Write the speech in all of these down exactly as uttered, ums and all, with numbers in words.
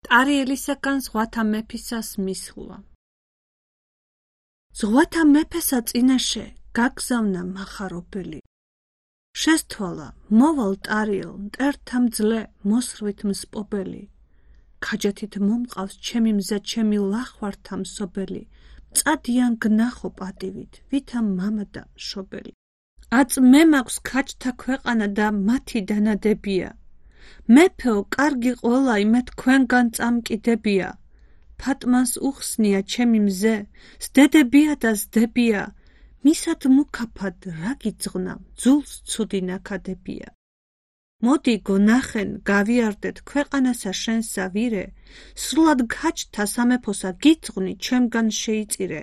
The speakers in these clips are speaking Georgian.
ტარიელისაგან ზღვათა მეფისას მისხლვა. ზღვათა მეფესა წინაშე გაგზავნა მახარობელი. შესთვალა მოვალ ტარიელ მტერთა მძლე მოსრვით მსპობელი. ქაჯათით მომყავს ჩემი მზა ჩემი ლახვართა მსობელი. მწადიან გნახო პატივით ვითა მამა და მშობელი. აწ მე მაქვს ქაჯთა ქვეყანა და მათი დანადებია. მეფეო კარგი ყოლა იმე თქვენგან წამკიდებია. ფატმანს უხსნია ჩემი მზე სდედებია და სდებია. მისად მუქაფად რა გიძღვნა ძულს ცუდი ნაქადებია. მოდი გონახენ გავიარდეთ ქვეყანასა შენსა ვირე. სრულად ქაჯთა სამეფოსა გიძღვნი ჩემგან შეიწირე.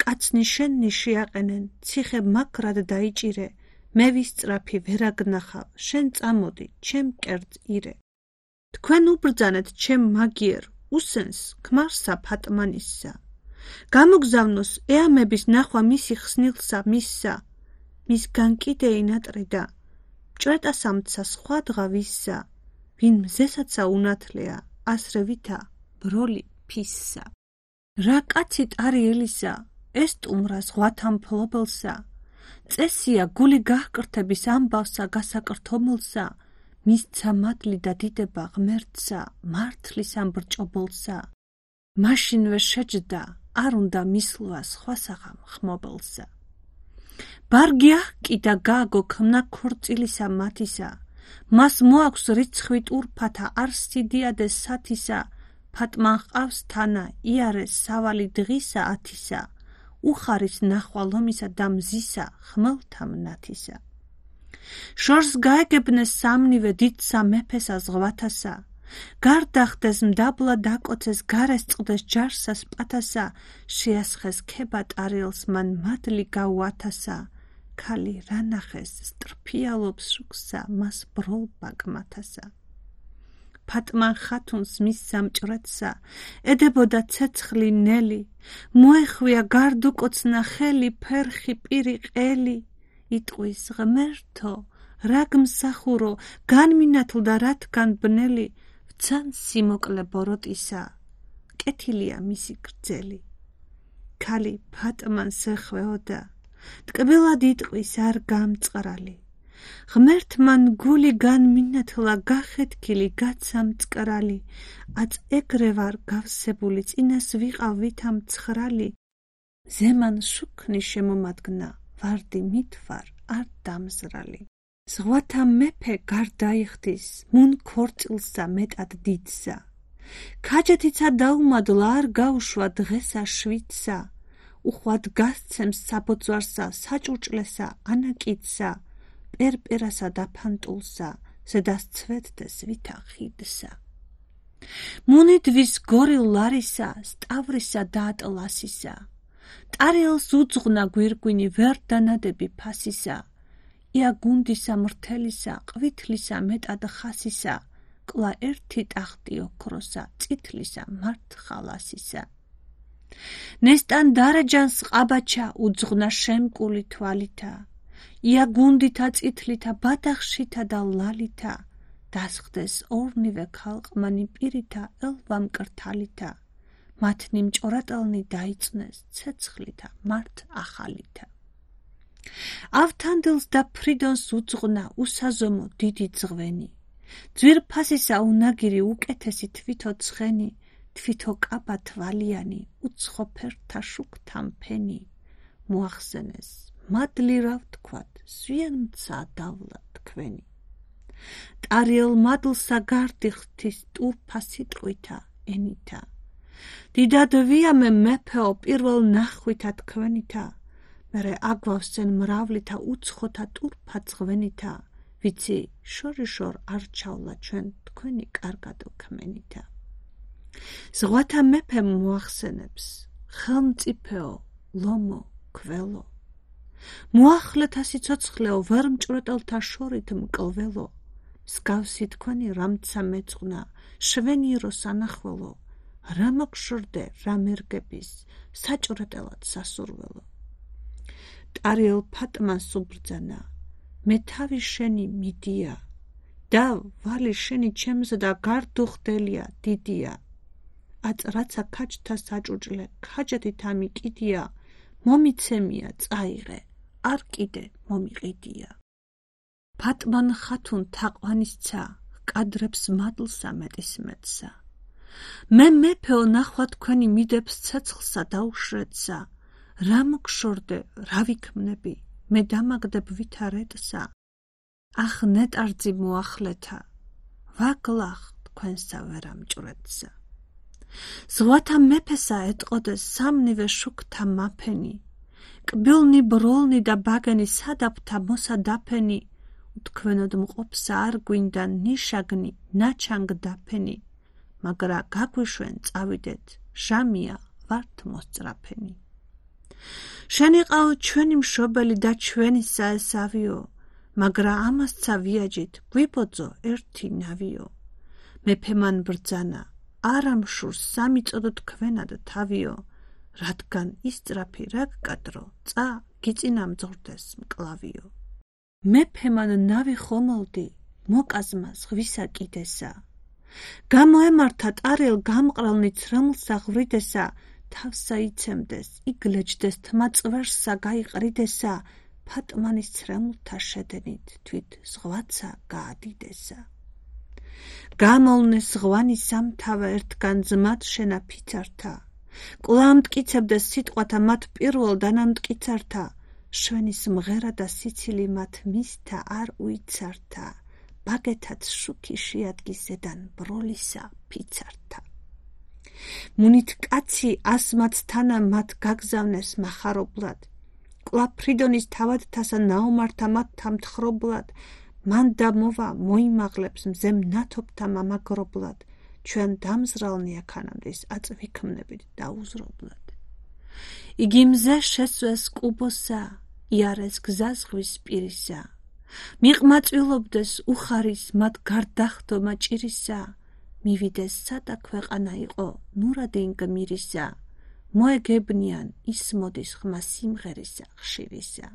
კაცნი შენნი შეაყენენ ციხე მაგრად დაიჭირე. მე ვისწრაფი ვერაგნახავ შენ წამოდი ჩემ კერძ ირე. თქვენ უბრძანეთ ჩემ მაგიერ უსენს ქმარსა ფატმანისსა. გამოგზავნოს ეამების ნახვა მისი ხსნილსა მისსა. მისგან კიდე ინატრიდა მჭრეტასამცა სხვა დღა ვისსა. ვინ მზესაცა უნათლია ასრევითა ბროლი ფისსა. რა კაცი ტარიელისა ეს ტუმრა ზღვათა მფლობელსა. წესია გული გაჰკრთების ამბავსა გასაკრთომილსა. მისცა მადლი და დიდება ღმერთსა მართლის ამ ბრჭობილსა. მაშინვე შეჯდა არ უნდა მისლვა სხვასაღამ ხმობელსა. ბარგი აჰკიდა გააგო ქმნა ქორწილისა მათისა. მას მოაქვს რიცხვით ურფათა არ სიდიადეს სათისა. ფატმან ჰყავს თანა იარეს სავალი დღისა ათისა. უხარის ნახვა ლომისა და მზისა ხმელთა მნათისა. შორს გაეგებნეს სამნივე დიდსა მეფესა ზღვათასა. გარდახდეს მდაბლა დაკოცეს გარეს წყდეს ჯარსას პათასა. შეასხეს ქება ტარიელს მან მადლი გაუათასა. ქალი რა ნახეს სტრფიალობს შუქსა მას ბროლბა კმათასა. ფატმან ხათუნს მის სამჭრეთსა ედებოდა ცეცხლი ნელი. მოეხვია გარდუკოცნა ხელი ფერხი პირი ყელი. იტყვის ღმერთო რა გმსახურო განმინათლდა რათგან ბნელი. ვცან სიმოკლე ბოროტისა კეთილია მისი გრძელი. ქალი ფატმანს ეხვეოდა ტკბილად იტყვის არ გამწყრალი. ღმერთმან გული განმინათლა გახეთქილი გაცა მწკრალი. აწ ეგრე ვარ გავსებული წინას ვიყავ ვითა მცხრალი. ზემან შუქნი შემომადგნა ვარდი მითვარ არ დამზრალი. ზღვათა მეფე გარდაიხდის მუნ ქორწილსა მეტად დიდსა. ქაჯეთიცა დაუმადლა არ გაუშვა დღესა შვიდსა. უხვად გასცემს საბოძვარსა საჭურჭლესა ანაკიდსა. პერპერასა და ფანტულსა ზედას ცვეთდეს ვითა ხიდსა. მუნიდვის გორილ ლარისა სტავრისა და ატლასისა. ტარიელს უძღვნა გვირგვინი ვერ დანადები ფასისა. ია გუნდისა მრთელისა ყვითლისა მეტად ხასისა. კლა ერთი ტახტი ოქროსა წითლისა მართ ხალასისა. ნესტან დარეჯანს ყაბაჩა უძღვნა შემკული თვალითა. ია გუნდითა წითლითა ბადახშითა და ლალითა. დასხდეს ორნივე ქალყმანი პირითა ელვა მკრთალითა. მათნი მჭორატალნი დაიწნეს ცეცხლითა მართ ახალითა. ავთანდილს და ფრიდონს უძღვნა უსაზომო დიდი ძღვენი. ძვირფასისა უნაგირი უკეთესი თვითო ცხენი. თვითო კაბა თვალიანი უცხო ფერთა შუქთა მფენი. მოახსენეს მადლი რა ვთქვათ სვიან მცა დავლა თქვენი. ტარიელ მადლსა გარდიხთის ტურფასი ტყვითა ენითა. დიდად ვიამე მეფეო პირველ ნახვითა თქვენითა. მერე აგვავსენ მრავლითა უცხოთა ტურფა ძღვენითა. ვიცი შორიშორ არ ჩავლა ჩვენ თქვენი კარგადო ქმენითა. ზღვათა მეფე მოახსენებს ხელმწიფეო ლომო კველო. მოახლეთა სიცოცხლეო ვერ მჭრეტელთა შორით მკლველო. მსგავსი თქვენი რამცა მეწყნა შვენირო სანახველო. რა მოგშორდე რა მერგების საჭრეტელად სასურველო. ტარიელ ფატმანს უბრძანა მე თავი შენი მიდია. და ვალი შენი ჩემზე და გარდუხდელია დიდია. აწრაცა ქაჯთა საჭუჭლე, ქაჯათით ამიკიდია, მომიცემია წაიღე, არ კიდე მომიყიდია. ფატმან ხათუნ თაყვანისცა, კადრებს მადლსა მეტის მეტსა. მე მეფეო ნახვა თქვენი მიდებს ცეცხლსა დაუშრედსა, რა მოგშორდე, რა ვიქმნები, მე დამაგდებ ვითარედსა. ახ ნეტარძი მოახლეთა, ვაგლახ თქვენსა ვერამჭვრედსა. ზღვათა მეფესა ეტყოდეს სამნივე შუქთა მაფენი, კბილნი ბროლნი და ბაგენი სადაფთა მოსადაფენი, უთქვენოდ მყოფსა არ გვინდა ნიშაგნი ნაჩანგ დაფენი, მაგრა გაგვიშვენ წავიდეთ, ჟამია ვართ მოსწრაფენი. შენიყაო ჩვენი მშობელი და ჩვენისა ეს ავიო, მაგრა ამასცა ვიაჯით გვიბოძო ერთი ნავიო. მეფემან ბრძანა, არა მშურს სამიწოდო თქვენად თავიო, რადგან ისწრაფი რა გკადრო, წა გიწინა მძღვრდეს მკლავიო. მეფემან ნავი ხომალდი, მოკაზმა ზღვისა კიდესა. გამოემართა ტარელ გამყრალნი ცრემლსა ღვრიდესა, თავსა იცემდეს, იგლეჯდეს თმა წვერსა გაიყრიდესა, ფატმანის ცრემლთა შედენით თვით ზღვაცა გაადიდესა. გამოვნეს ღვანი სამთავა ერთგან ძმად შენა ფიცართა, კვლავ მტკიცებდეს სიტყვათა მათ პირველ დანამტკიცართა, შვენის მღერა და სიცილი მათ მისთა არ უიცართა, ბაგეთაც შუქი შეადგის ზედან ბროლისა ფიცართა. მუნით კაცი ასმაც თანა მათ გაგზავნეს მახარობლად, კვლავ ფრიდონის თავადთასა ნაომართა მათ თამთხრობლად, მან დამოვა მოიმაღლებს მზემ ნათობთა მამაგრობლად, ჩვენ დამზრალნი აქანამდის აწვიქმნებით დაუზრობლად. იგი მზე შესვეს კუბოსა, იარეს გზა ზღვის პირისა, მიყმაწვილობდეს უხარის მათ გარდახდომა ჭირისა, მივიდეს სადა ქვეყანა იყო ნურადინ გმირისა, მოეგებნიან ისმოდის ხმა სიმღერისა ხშირისა.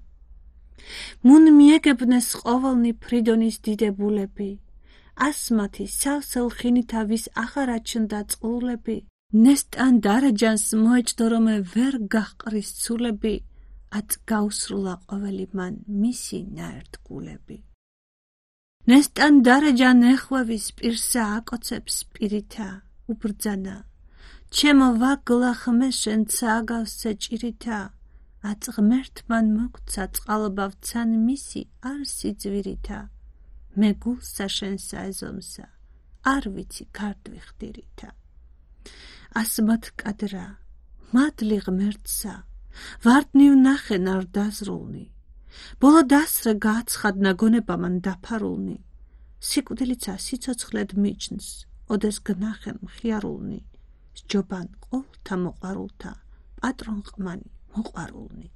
მუნ მიეგებნეს ყოველნი ფრიდონის დიდებულები, ასმათი სავსელ ხინითა ვის აღარ აჩნდა წყლულები, ნესტან დარეჯანს მოეჭდო რომე ვერ გაჰყრის ცულები, აწ გაუსრულა ყოველი მან მისი ნაერთგულები. ნესტან დარეჯან ეხვევის პირსა აკოცებს პირითა, უბრძანა, ჩემო ვაგლახ მე შენცა აგავსე ჭირითა, აწ ღმერთმან მოგცა წყალბავცან მისი არ სიძვირითა, მე გულსა შენსა ეზომსა, არ ვიცი გარდვი ხდირითა. ასმათ კადრა, მადლი ღმერთსა, ვარდნი ვნახენ არ დაზრულნი, ბოლო დასრე გააცხადნა გონებამან დაფარულნი, სიკვდილიცა სიცოცხლედ მიჯნს, ოდეს გნახენ მხიარულნი, სჯობან ყოვლთა მოყვარულთა, პატრონ ყმანი მოყვარულნი.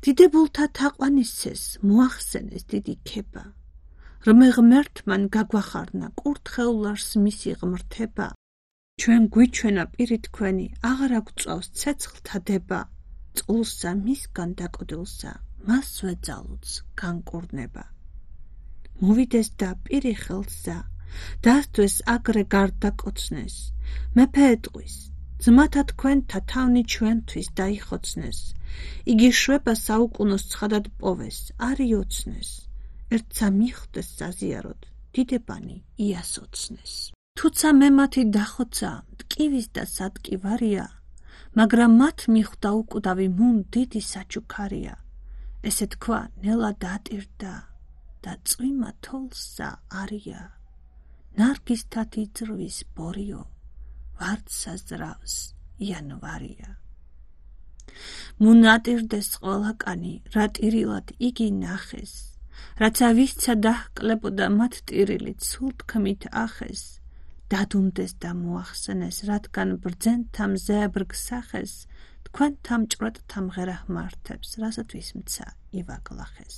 დიდებულთა თაყვანისცეს მოახსენეს დიდი ქება, რმე ღმერთმან გაგვახარნა კურთხეულარს მისი ღმრთება, ჩვენ გვიჩვენა პირი თქვენი, აღარ აგვწვავს ცეცხლთა დება, წყულსა მისგან დაკოდილსა, მასვე ძალუც განკურნება. მოვიდეს და პირი ხელსა, დასთვეს აგრე გარდაკოცნეს, მეფე ეტყვის, ძმათა თქვენთა თავნი ჩვენთვის დაიხოცნეს, იგი შვება საუკუნოს ცხადად პოვეს, არ იოცნეს, ერთსა მიხვდეს საზიაროდ, დიდებანი იასოცნეს. თუცა მე მათი დახოცა, მტკივის და სადკივარია, მაგრამ მათ მიხვდა უკვდავი მუნ დიდი საჩუქარია, ესე თქვა ნელა დატირდა და წვიმა თოლსა არია, ნარგისთათ იძრვის ბორიო, ვარდსა ზრავს იანვარია. მუნ ატირდეს ყველაკანი, რა ტირილად იგი ნახეს, რაცა ვისცა დაჰკლებოდა მათ ტირილით სულ თქმით ახეს, დადუმდეს და მოახსენეს, რადგან ბრძენთა მზეებრგ სახეს, თქვენთა მჭვრეტთა მღერა ჰმართებს, რასათვის მცა ივაგლახეს.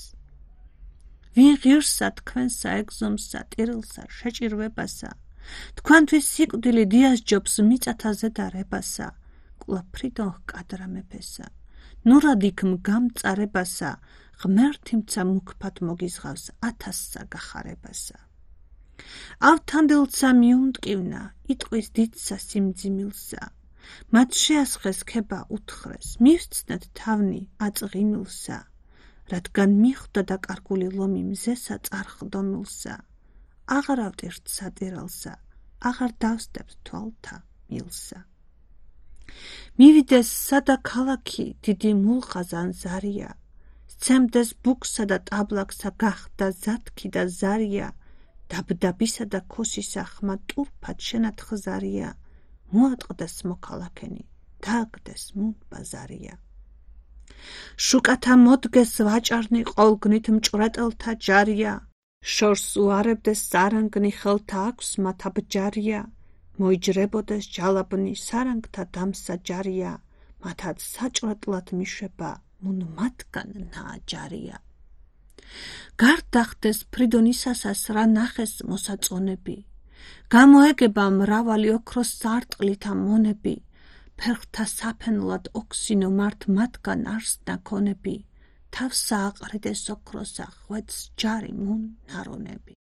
ვინ ღირსა თქვენსა ეგზომსა ტირილსა შეჭირვებასა, თქვენთვის სიკვდილი დიასჯობს მიწათა ზედარებასა, კვლავ ფრიდონ ჰკადრა მეფესა, ნურად იქმ გამწარებასა, ღმერთი მცა მუქფად მოგიზღავს ათასსა გახარებასა. ავთანდილცა მიუნტკივნა იტყვის დიდსა სიმძიმილსა, მათ შეასხეს ქება უთხრეს, მივსცნეთ თავნი აწღიმილსა, რადგან მიხვდა დაკარგული ლომი მზესა წარხდომილსა, აღარ ავტირთ სატირალსა, აღარ დავსდებთ თვალთა მილსა. მივიდეს სადა ქალაქი დიდი მულყაზან ზარია, სცემდეს ბუქსა და ტაბლაკსა გახდა ზათქი და ზარია, დაბდაბისა და ქოსისა ხმა ტურფად შენათხზარია, მოატყდეს მოქალაქენი, დააგდეს მუნ ბაზარია. შუკათა მოდგეს ვაჭარნი ყოლგნით მჭვრეტელთა ჯარია, შორს უარებდეს სარანგნი ხელთა აქვს მათა ბჯარია, მოიჯრებოდეს ჯალაბნი სარანგთა დამსა ჯარია, მათაც საჭვრეტლად მიშვება მუნ მათგან ნააჯარია. გარდახდეს ფრიდონისასას რა ნახეს მოსაწონები, გამოეგება მრავალი ოქროს სარტყლითა მონები, ფერხთა საფენლად ოქსინო მართ მათგან არს ნაქონები, თავს სააყრიდეს ოქროსა ღვედს ჯარი მუნ ნარონები.